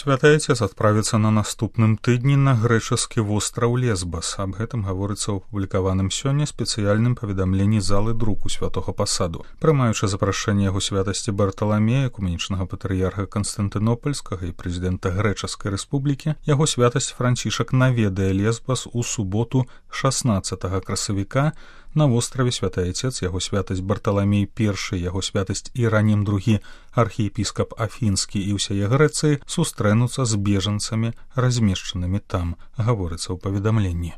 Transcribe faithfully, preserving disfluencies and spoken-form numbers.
Святы Отец адправіцца на наступным тыдні на грэчаскі востраў Лесбас. Аб гэтым гаворыцца ў апублікаваным сёння спецыяльным паведамленні залы друку святога пасаду. Прымаючы запрашэнне яго святасці Барталамея, экуменічнага патрыярха Канстантынопольскага і прэзідэнта Грэчаскай рэспублікі, яго святасць Францішак наведае Лесбас у суботу шаснаццатага красавіка. На востраве Святы Отец, яго святасць Барталамей першы, яго святасць Іранім другі, архіепіскап Афінскі і ўсяе Грэцыі сустрэнуцца з бежанцамі, размешчанымі там, гаворыцца ў паведамленні.